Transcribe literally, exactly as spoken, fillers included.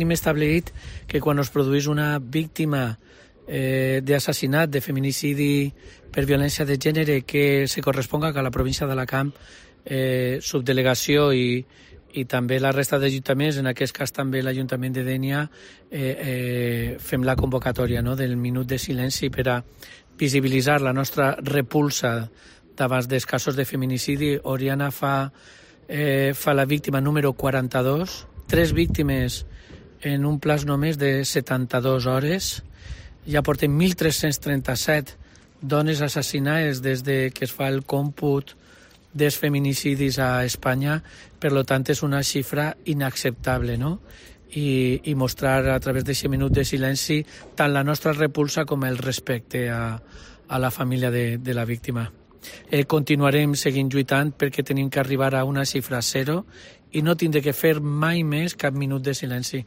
Hem establit que quan es produeix una víctima eh, d'assassinat, de feminicidi per violència de gènere que se corresponga que a la província d'Alacant, eh, subdelegació i, i també la resta d'ajuntaments, en aquest cas també l'Ajuntament de Dénia, eh, eh, fem la convocatòria, no?, del minut de silenci per a visibilitzar la nostra repulsa davant dels casos de feminicidi. Oriana fa, eh, fa la víctima número quaranta-dos, tres víctimes en un plaç només de setanta-dues hores. Ja portem mil tres-cents trenta-set dones assassinades des de que es fa el còmput dels feminicidis a Espanya. Per tant, és una xifra inacceptable, no? I, i mostrar a través d'aquest minut de silenci tant la nostra repulsa com el respecte a, a la família de, de la víctima. Eh, continuarem seguint lluitant perquè tenim que arribar a una xifra zero i no tindre que fer mai més cap minut de silenci.